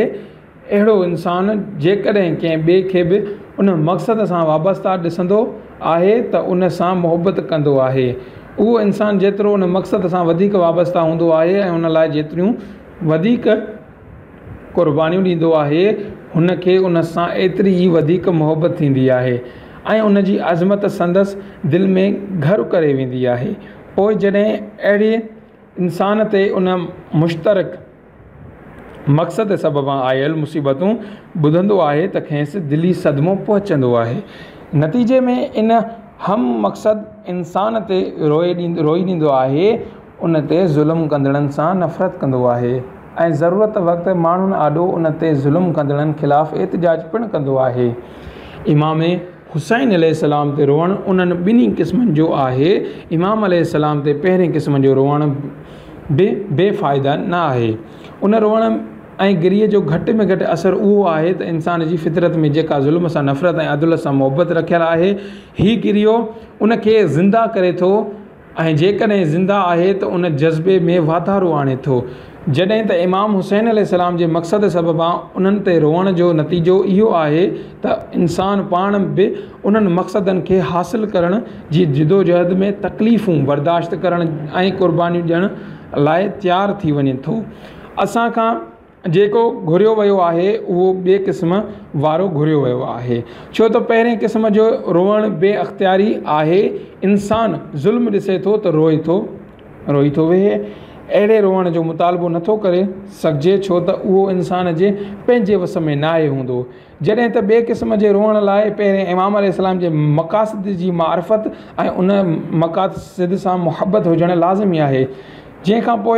اهڙو انسان جيڪڏهن ڪنهن ٻئي کي به ان مقصد سان وابسته ڏسندو آهي ته ان سان محبت ڪندو آهي. اهو انسان جيترو ان مقصد سان وڌيڪ وابسته هوندو آهي ۽ ان لاء جيتريون وڌيڪ قربانيون ڏيندو آهي، هن کي ان سان ايتري ئي وڌيڪ محبت ٿيندي آهي ۽ ان جي عظمت سندس دل ۾ گهر ڪري ويندي آهي. پوء جڏهن اهڙي انسان تي ان مشترڪ مقصد سببان آيل مصيبتون ٻڌندو آهي ته کيس دلي صدمو پهچندو آهي. نتيجي ۾ ان هم مقصد انسان تي روئي ڏيندو آهي، ان تي ظلم ڪندڙن سان نفرت ڪندو آهي ۽ ضرورت وقت ماڻهن آڏو ان تي ظلم ڪندڙن خلاف احتجاج پڻ ڪندو آهي. امام حسين عليه السلام تي روئڻ انهن ٻنهي قسمن جو آهي. امام عليه السلام تي پهرين قسم جو روئڻ به بي فائده نه آهي. ان روئڻ ۽ گريي جو گهٽ ۾ گهٽ اثر اهو آهي ته انسان جي فطرت ۾ جيڪا ظلم سان نفرت ۽ عدل سان محبت رکيل آهي، هي گريو ان کي زنده ڪري ٿو ۽ جيڪڏهن زنده آهي ته ان جذبي ۾ واڌارو آڻي ٿو. جڏهن ته امام حسين عليه السلام جي مقصد سببان انهن تي روئڻ جو نتيجو اهو آهي ته انسان پاڻ به انهن مقصدن کي حاصل ڪرڻ جي جدوجهد ۾ تڪليفون برداشت ڪرڻ ۽ قربانيون ڏيڻ لاء تيار ٿي وڃي ٿو. اسان کان جيڪو گهريو ويو آهي اهو ٻئي قسم وارو گهريو ويو آهي. ڇو ته پهرين قسم جو روئڻ بي اختياري آهي. انسان ظلم ڏسي ٿو ته روئي ٿو روئي ٿو ويهي. اهڙي روئڻ جو مطالبو نٿو ڪري سگهجي ڇو ته اهو انسان جي پنهنجي وس ۾ ناهي هوندو. جڏهن ته ٻئي قسم جي روئڻ لاء پهرين امام عليه السلام جي مقاصد جي معرفت ۽ ان مقاصد سان محبت هجڻ لازمي آهي. جنهن کان پوء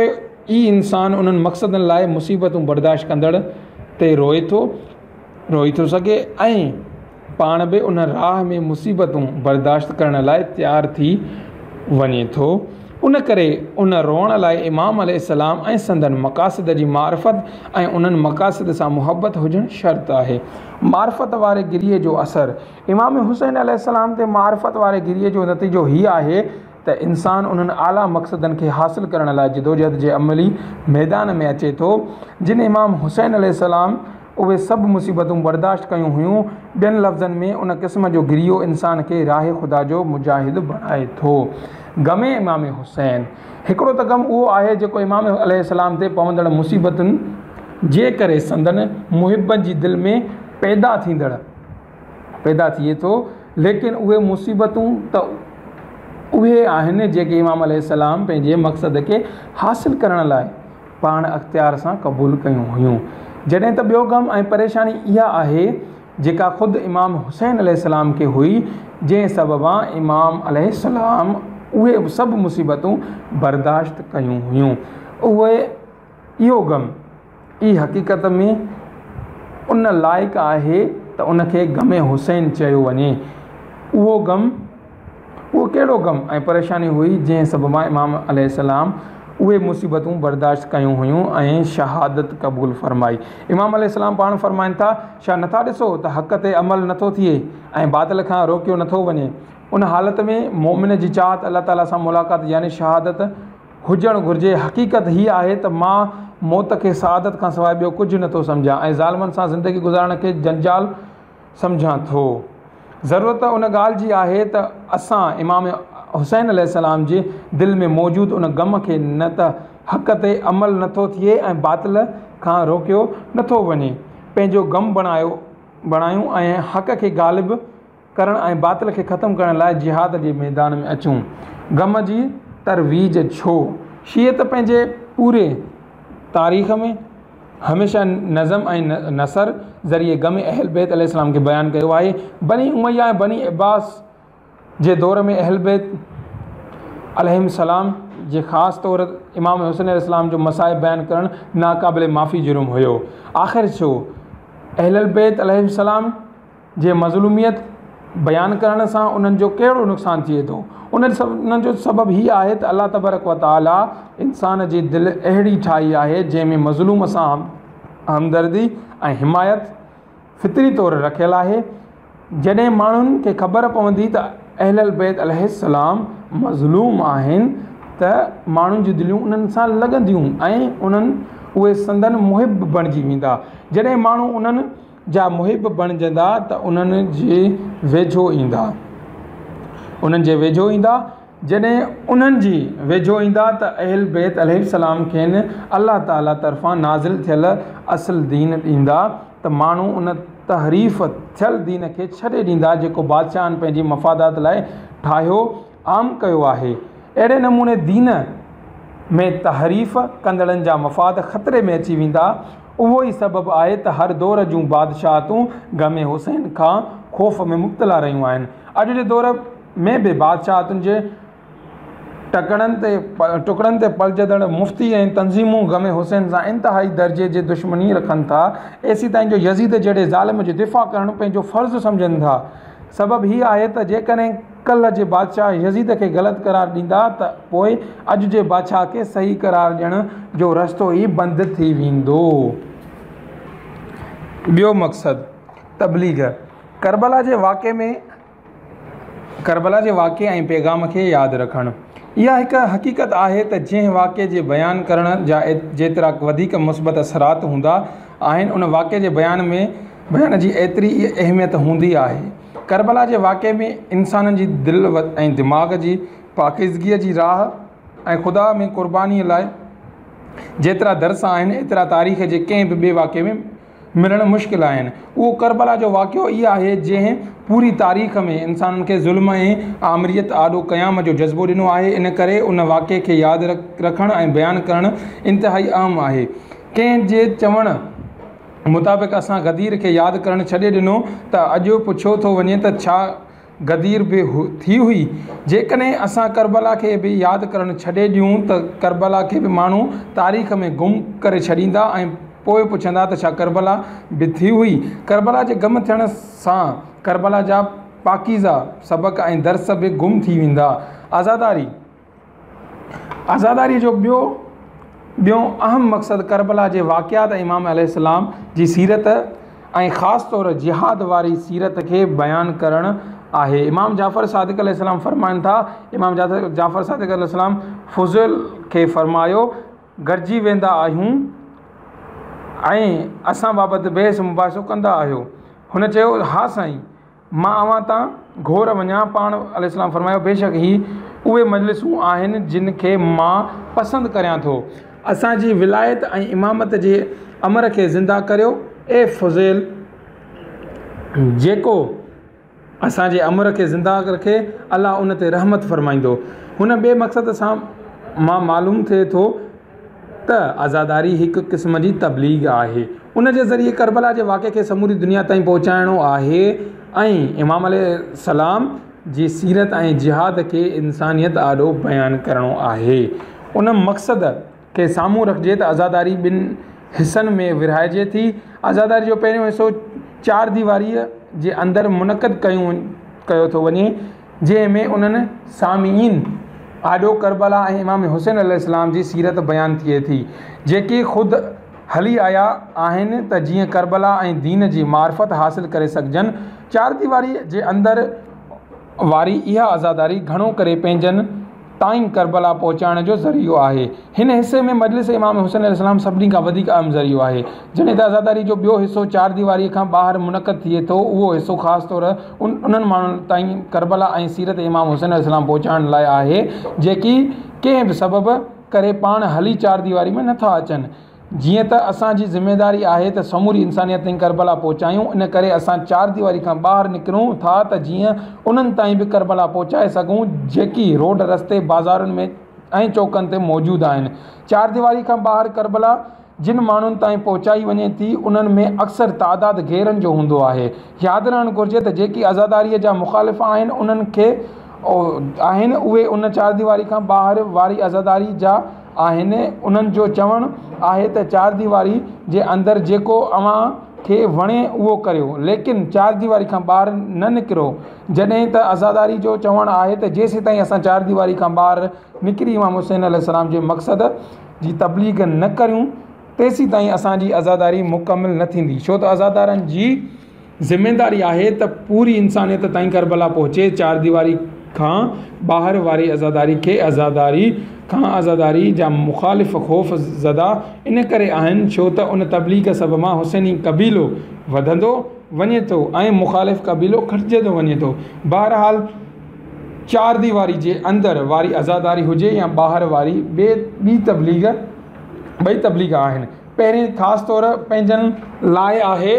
ئي انسان انهن مقصدن لاء مصيبتون برداشت ڪندڙ تي روئي ٿو روئي ٿو سگهي ۽ پاڻ به ان راهه ۾ مصيبتون برداشت ڪرڻ لاء تيار ٿي وڃي ٿو. ان ڪري ان روئڻ لاء امام عليه السلام ۽ سندن مقاصد جي معرفت ۽ انهن مقاصد سان محبت هجڻ شرط آهي. معرفت واري گريي جو اثر، امام حسين عليه السلام تي معرفت واري گريي جو نتيجو هي آهي ته انسان انهن اعليٰ مقصدن کي حاصل ڪرڻ لاء جدوجهد جي عملي ميدان ۾ اچي ٿو، جن امام حسين عليه السلام اهي سڀ مصيبتون برداشت ڪيون هيون. ٻين لفظن ۾ ان قسم جو گريو انسان کي راهه خدا جو مجاهد بڻائي ٿو. غم امام حسين، هڪڙو ته غم اهو آهي جيڪو امام عليه السلام تي پوندڙ مصيبتن جي ڪري سندن محبن جي دل ۾ پيدا ٿيندڙ پيدا ٿئي ٿو، ليڪن اهي مصيبتون ته اهي آهن جيڪي امام عليه السلام پنهنجي مقصد کي حاصل ڪرڻ لاء پاڻ اختيار سان قبول ڪيون هيون. جڏهن ته ٻيو غم ۽ پريشاني اها آهي جيڪا خود امام حسين عليه السلام کي هئي، جنهن سببان امام عليه السلام اهي سڀ مصيبتون برداشت ڪيون هيون. اهي اهو غم ئي حقيقت ۾ ان لائق آهي ته ان کي غم حسين چيو وڃي. اهو غم اهو ڪهڙو غم ۽ پريشاني هئي جنهن سببان امام عليه السلام اهي مصيبتون برداشت ڪيون هيون ۽ شهادت قبول فرمائي. امام عليه السلام پاڻ فرمائن ٿا، ڇا نٿا ڏسو ته حق تي عمل نٿو ٿئي ۽ باطل کان روڪيو نٿو وڃي. ان حالت ۾ مؤمن جي چاهت الله تعاليٰ سان ملاقات يعني شهادت هجڻ گهرجي. حقيقت هيء آهي ته مان موت کي سعادت کان سواء ٻيو ڪجهه نٿو سمجهان ۽ ظالمن سان زندگي گذارڻ کي جنجال سمجهان ٿو. ضرورت ان ڳالهه جي آهي ته اسان امام حسين عليه السلام جي دل ۾ موجود ان غم کي نه ته حق تي عمل نٿو ٿئي ۽ باطل کان روڪيو نٿو وڃي، پنهنجو غم بڻايون ۽ حق کي غالب ڪرڻ ۽ باطل کي ختم ڪرڻ لاء جهاد جي ميدان ۾ اچون. غم جي ترويج ڇو؟ شيعت پنهنجي پوري تاريخ ۾ هميشه نظم ۽ نثر ذريعي غم اهل بيت عليه السلام کي بيان ڪيو آهي. بني اميه ۽ بني عباس جي دور ۾ اهل بيت عليهم السلام جي خاص طور امام حسين عليه السلام جو مصائب بيان ڪرڻ ناقابل معافي جرم هيو. آخر ڇو؟ اهل البيت عليهم السلام جي مظلوميت بيان ڪرڻ سان انهن جو ڪهڙو نقصان ٿئي ٿو؟ ان جو سبب هي آهي ته الله تبارڪ و تعالي انسان جي دل اهڙي ٺاهي آهي جنهن ۾ مظلوم سان همدردي ۽ حمايت فطري طور رکيل آهي. جڏهن ماڻهن کي خبر پوندي ته اهل البيت عليه السلام مظلوم آهن ته ماڻهن جون دليون انهن سان لڳنديون ۽ انهن اهي سندن محب بڻجي ويندا. جڏهن ماڻهو انهن جا محب بڻجندا ته انهن جي ويجهو ايندا. انهن جي ويجهو ايندا. جڏهن انهن جي ويجهو ايندا ته اهل بيت عليهم السلام کين الله تعالي طرفان نازل ٿيل اصل دين ڏيندا ته ماڻهو ان تحريف ٿيل دين کي ڇڏي ڏيندا جيڪو بادشاهن پنهنجي مفادات لاء ٺاهيو عام ڪيو آهي. اهڙي نموني دين ۾ تحريف ڪندڙن جا مفاد خطري ۾ اچي ويندا. اهو ئي سبب آهي ته هر دور جون بادشاهتون غم حسين کان خوف ۾ مبتلا رهيون آهن. اڄ جي دور ۾ به بادشاهتن جي ٽڪڙن تي ٽڪڙن تي پلجندڙ مفتي ۽ تنظيمون غم حسين سان انتهائي درجي جي دشمني رکن ٿا، ايسيتائين جو يزيد جهڙي ظالم جو دفاع ڪرڻ پنهنجو فرض سمجهن ٿا. سبب هي آهي ته جيڪڏهن ڪلهه جي بادشاهه يزيد کي غلط قرار ڏيندا ته پوء اڄ جي بادشاهه کي صحيح قرار ڏيڻ جو رستو ئي بند ٿي ويندو. ٻيو مقصد، تبليغ، ڪربلا جي واقعي ۾. ڪربلا جي واقعي ۽ پيغام کي ياد رکڻ. اها هڪ حقيقت آهي ته جنهن واقعي جي بيان ڪرڻ جا جيترا وڌيڪ مثبت اثرات هوندا آهن ان واقعي جي بيان ۾ بيان جي ايتري ئي اهميت هوندي آهي. ڪربلا جي واقعي ۾ انسانن جي دل ۽ دماغ جي پاڪيزگيء جي راهه ۽ خدا ۾ قربانيء لاء جيترا درس آهن ايترا تاريخ جي ڪنهن به ٻئي واقعي ۾ ملڻ مشڪل آهن. اهو ڪربلا جو واقعو ئي آهي جنهن پوري تاريخ ۾ انسانن کي ظلم ۽ آمريت آڏو قيام جو جذبو ڏنو آهي. ان ڪري ان واقعي کي ياد رکڻ ۽ بيان ڪرڻ انتهائي اهم آهي. ڪنهن جي چوڻ مطابق اسان غدير کي ياد ڪرڻ ڇڏي ڏنو ته اڄ پڇيو ٿو وڃي ته ڇا غدير به ٿي هئي. جيڪڏهن اسان ڪربلا کي به ياد ڪرڻ ڇڏي ڏيون ته ڪربلا کي به ماڻهو تاريخ ۾ گم ڪري ڇڏيندا ۽ پوء پڇندا ته ڇا ڪربلا به ٿي هئي؟ ڪربلا جي گم ٿيڻ سان ڪربلا جا پاڪيزه سبق ۽ درس به گم ٿي ويندا. عزاداري. عزاداريء جو ٻيو ٻيون اهم مقصد ڪربلا جي واقعات ۽ امام عليه السلام جي سيرت ۽ خاص طور جهاد واري سيرت کي بيان ڪرڻ آهي. امام جعفر صادق عليه السلام فرمائن ٿا، امام جعفر صادق عليه السلام فضيل کي فرمايو، گڏجي ويندا آهيون ۽ اسان بابت بحث مباحثو ڪندا آهيو. هن چيو، ها سائين! مان اوهان تان گهور وڃان، پاڻ عليه السلام فرمايو، بيشڪ هي اهي مجلسون آهن جن کي مان پسند ڪريان ٿو. اسان جي ولايت ۽ امامت جي امر کي زنده ڪريو، اي فضيل! جيڪو اسان جي امر کي زنده رکي، الله ان تي رحمت فرمائيندو. هن ٻئي مقصد سان مان معلوم ٿئي ٿو ته عزاداري هڪ قسم جي تبليغ آهي. ان جي ذريعي ڪربلا جي واقعي کي سموري دنيا تائين پهچائڻو آهي ۽ امام عليه السلام جي سيرت ۽ جهاد کي انسانيت آڏو بيان ڪرڻو آهي. ان مقصد کي سامهون رکجي ته عزاداري ٻن حصن ۾ ورهائجي ٿي. عزاداري جو پهريون حصو چارديواريء جي اندر منعقد ڪيو ٿو وڃي. جنهن ۾ انهن سامعين آڏو ڪربلا ۽ امام حسين عليه السلام جي سيرت بيان ٿئي ٿي، جيڪي خود هلي آيا آهن ته جيئن ڪربلا ۽ دين جي معرفت حاصل ڪري سگهجن. چارديواريء جي اندر واري اها عزاداري گهڻو ڪري پنهنجن تائين ڪربلا پهچائڻ جو ذريعو آهي. هن حصي ۾ مجلس امام حسين عليه السلام سڀني کان وڌيڪ اهم ذريعو آهي. جڏهن ته عزاداري جو ٻيو حصو چارديواريء کان ٻاهر منعقد ٿئي ٿو، اهو حصو خاص طور انهن ماڻهن تائين ڪربلا ۽ سيرت امام حسين عليه السلام پهچائڻ لاء آهي، جيڪي ڪنهن به سبب ڪري پاڻ هلي چارديواري ۾ نٿا اچن. جيئن ته اسان جي ذميداري آهي ته سموري انسانيت تائين ڪربلا پهچايون، ان ڪري اسان چارديواري کان ٻاهر نڪرون ٿا ته جيئن انهن تائين به ڪربلا پهچائي سگهون، جيڪي روڊ رستي، بازارن ۾ ۽ چوڪن تي موجود آهن. چارديواري کان ٻاهر ڪربلا جن ماڻهن تائين پهچائي وڃي ٿي، انهن ۾ اڪثر تعداد غيرن جو هوندو آهي. ياد رهڻ گهرجي ته جيڪي عزاداريء جا مخالف آهن، انهن کي آهن، اهي ان چارديواري کان ٻاهر واري عزاداري جا آهن، انهن جو چوڻ آهي ته چارديواري جي اندر جيڪو اوهان کي وڻي اهو ڪريو، ليڪن چارديواري کان ٻاهر نه نڪرو، جڏهن ته عزاداري جو چوڻ آهي ته جيسيتائين اسان چارديواري کان ٻاهر نڪري امام حسين عليه السلام جي مقصد جي تبليغ نه ڪريون تيسيتائين اسان جي عزاداري مڪمل نه ٿيندي، ڇو ته عزادارن جي. ذميداري آهي ته پوري انسانيت تائين ڪربلا پهچي، چارديواري کان ٻاهر واري عزاداري کي عزاداري کان عزاداري جا مخالف خوف زده ان ڪري آهن ڇو ته ان تبليغ سببان حسيني قبيلو وڌندو وڃي ٿو ۽ مخالف قبيلو گهٽجندو وڃي ٿو. بهرحال! چارديواري جي اندر واري عزاداري هجي يا ٻاهر واري، ٻي تبليغ ٻئي تبليغ آهن. پهرين خاص طور پنهنجن لاء آهي،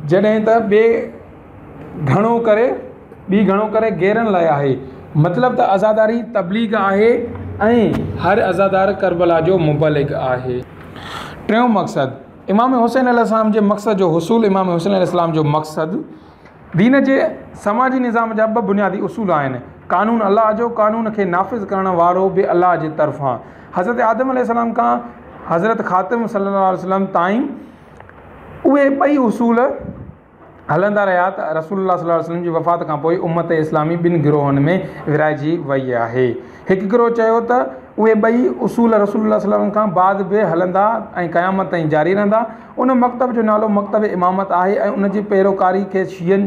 جڏهن ته ٻي گهڻو ڪري ٻي گهڻو ڪري غيرن لاء آهي. مطلب ته عزاداري تبليغ آهي ۽ هر عزادار ڪربلا جو مبلغ آهي. ٽيون مقصد، امام حسين عليه السلام جي مقصد جو حصول امام حسين عليه السلام جو مقصد دين جي سماجي نظام جا ٻه بنيادي اصول آهن، قانون الله جو، قانون کي نافذ ڪرڻ وارو به الله جي طرفان. حضرت آدم عليه السلام کان حضرت خاتم صلي الله عليه وسلم تائين اهي ٻئي اصول هلندا رهيا ته رسول الله صلي الله عليه وسلم جي وفات کان پوء امت اسلامي ٻن گروهن ۾ ورهائجي وئي آهي. هڪ گروهه چيو ته اهي ٻئي اصول رسول الله صلي الله عليه وسلم کان بعد به هلندا ۽ قيامت تائين جاري رهندا. ان مڪتب جو نالو مڪتب امامت آهي ۽ ان جي پيروڪاري کي شيعن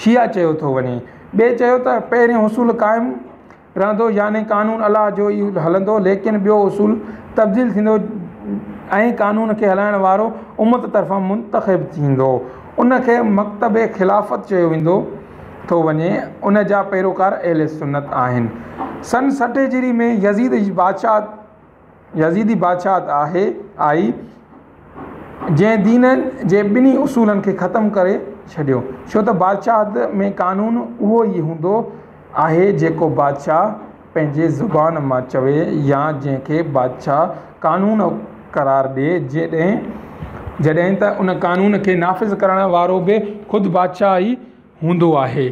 شيعه چيو ٿو وڃي. ٻئي چيو ته پهريون اصول قائم رهندو يعني قانون الله جو ئي هلندو ليڪن ٻيو اصول تبديل ٿيندو ۽ قانون کي هلائڻ وارو امت طرفان منتخب ٿيندو ان کي مڪتب خلافت چيو ويندو ٿو وڃي ان جا پيروڪار اهل سنت آهن. سن 60 هجري ۾ يزيد جي بادشاهت يزيدي بادشاهت آهي آئي جنهن دين جي ٻنهي اصولن کي ختم ڪري ڇڏيو ڇو ته بادشاهت ۾ قانون اهو ئي هوندو آهي جيڪو بادشاهه پنهنجي زبان مان چوي يا جنهن کي بادشاهه قانون قرار ڏئي جڏهن جڏهن ته ان قانون کي نافذ ڪرڻ وارو به خود بادشاهه ئي هوندو آهي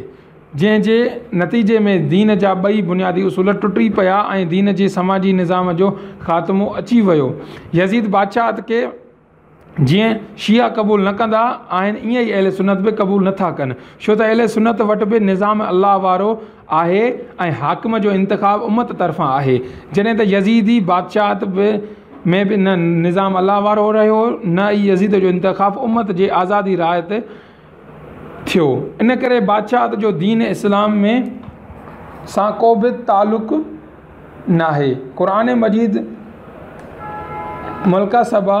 جنهن جي نتيجي ۾ دين جا ٻئي بنيادي اصول ٽٽي پيا ۽ دين جي سماجي نظام جو خاتمو اچي ويو. يزيد بادشاهت کي جيئن شيعا قبول نه ڪندا آهن ائين ئي اهل سنت به قبول نه ٿا ڪن ڇو ته اهل سنت وٽ به نظام الله وارو آهي ۽ حاڪم جو انتخاب امت طرفان آهي جڏهن ته يزيدي بادشاهت به ۾ به نه نظام الله وارو رهيو نه ئي يزيد جو انتخاب امت جي آزادي راء تي ٿيو ان ڪري بادشاهت جو دين اسلام ۾ سان ڪو به تعلق ناهي. قرآن مجيد ملڪه سبا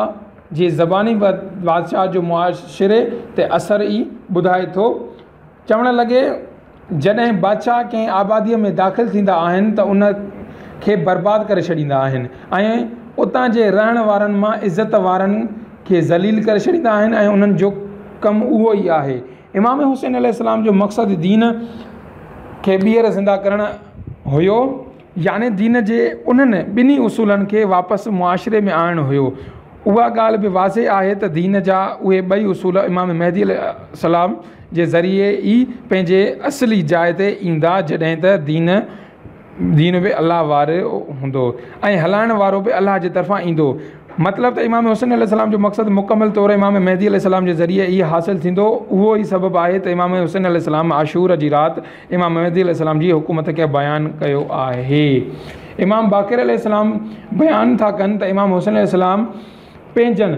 جي زباني بادشاهت جو معاشري تي اثر ئي ٻڌائي ٿو. چوڻ لڳي، جڏهن بادشاهه ڪنهن آباديء ۾ داخل ٿيندا آهن ته ان کي برباد ڪري ڇڏيندا آهن ۽ اتان جي رهڻ وارن مان عزت وارن کي ذليل ڪري ڇڏيندا آهن ۽ انهن جو ڪم اهو ئي آهي. امام حسين عليه السلام جو مقصد دين کي ٻيهر زنده ڪرڻ هيو يعني دين جي انهن ٻنهي اصولن کي واپس معاشري ۾ آڻڻ هيو. اها ڳالهه به واضح آهي ته دين جا اهي ٻئي اصول امام مهدي عليه السلام جي ذريعي ئي پنهنجي اصلي جاء تي ايندا جڏهن ته دين دين به الله وارو هوندو ۽ هلائڻ وارو به الله جي طرفان ايندو. مطلب ته امام حسين عليه السلام جو مقصد مڪمل طور امام مهدي عليه السلام جي ذريعي ئي حاصل ٿيندو. اهو ئي سبب آهي ته امام حسين عليه السلام عاشور جي رات امام مهدي عليه السلام جي حڪومت کي بيان ڪيو آهي. امام باقر عليه السلام بيان ٿا ڪن ته امام حسين عليه السلام پنهنجن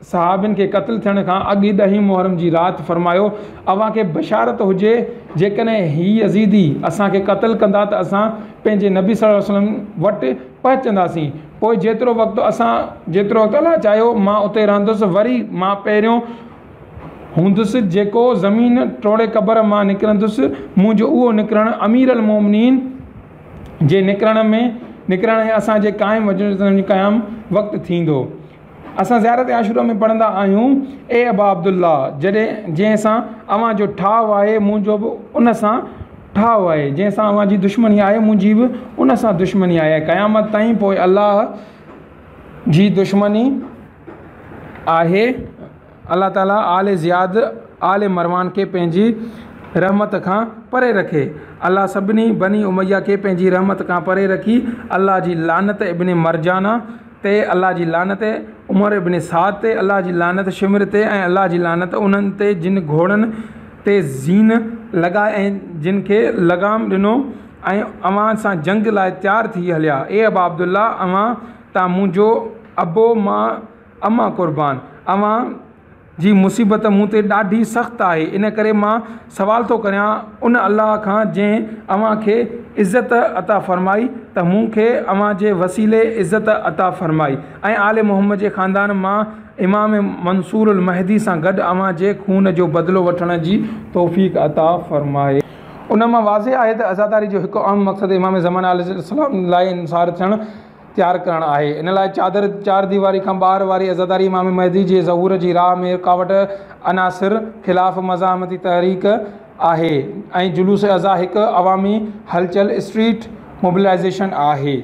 صحابين کي قتل ٿيڻ کان اڳ ڏهين محرم جي رات فرمايو، اوهان کي بشارت هجي، جيڪڏهن هي يزيدي اسان کي قتل ڪندا ته اسان پنهنجي نبي صلي الله عليه وسلم وٽ پهچنداسين، پوء جيترو وقت اسان جيترو وقت الله چاهيو مان اتي رهندس، وري مان پهريون هوندس جيڪو زمين ٽوڙي قبر مان نڪرندس، منهنجو اهو نڪرڻ امير المومنين جي نڪرڻ ۾ نڪرڻ ۽ اسان جي قائم هجڻ جي قيام وقت ٿيندو. اسان زيارت عاشورا ۾ پڙهندا آهيون، اي ابا عبدالله! جڏهن جنهن سان اوهان جو ٺاهه آهي منهنجو به ان سان ٺاهه آهي، جنهن سان اوهان جي دشمني آهي منهنجي به ان سان دشمني آهي ۽ قيامت تائين پوء الله جي دشمني آهي. الله تعالي آل زياد آل مروان کي پنهنجي رحمت کان پري رکي. الله سڀني بني اميه کي پنهنجي رحمت کان پري رکي. الله جي لعنت ابن مرجانه تي، الله جي لعنت عمر ابن سعد تي، الله جي لعنت شمر تي ۽ الله جي لعنت انهن تي جن گهوڙن تي زين لڳائي ۽ جن کي لغام ڏنو ۽ اوهان سان جنگ لاء تيار ٿي هليا. اي ابا عبدالله! اوهان تان منهنجو ابو مان امان قربان! اوهان جي مصيبت مون تي ڏاڍي سخت آهي، ان ڪري مان سوال ٿو ڪريان ان الله کان جنهن اوهان کي عزت عطا فرمائي ته مون کي اوهان جي وسيلي عزت عطا فرمائي ۽ آل محمد جي خاندان مان امام منصور المهدي سان گڏ اوهان جي خون جو بدلو وٺڻ جي توفيق عطا فرمائي. ان مان واضح آهي ته عزاداري جو هڪ اهم مقصد امام زمان عليه السلام لاء انصار ٿيڻ تيار ڪرڻ آهي. ان لاء چادر چار ديواري کان ٻاهر واري عزاداري امام مهدي جي ظهور جي راهه ۾ رڪاوٽ عناصر خلاف مزاحمتي تحريڪ آهي ۽ جلوس عزا هڪ عوامي هلچل، Street Mobilization، آهي.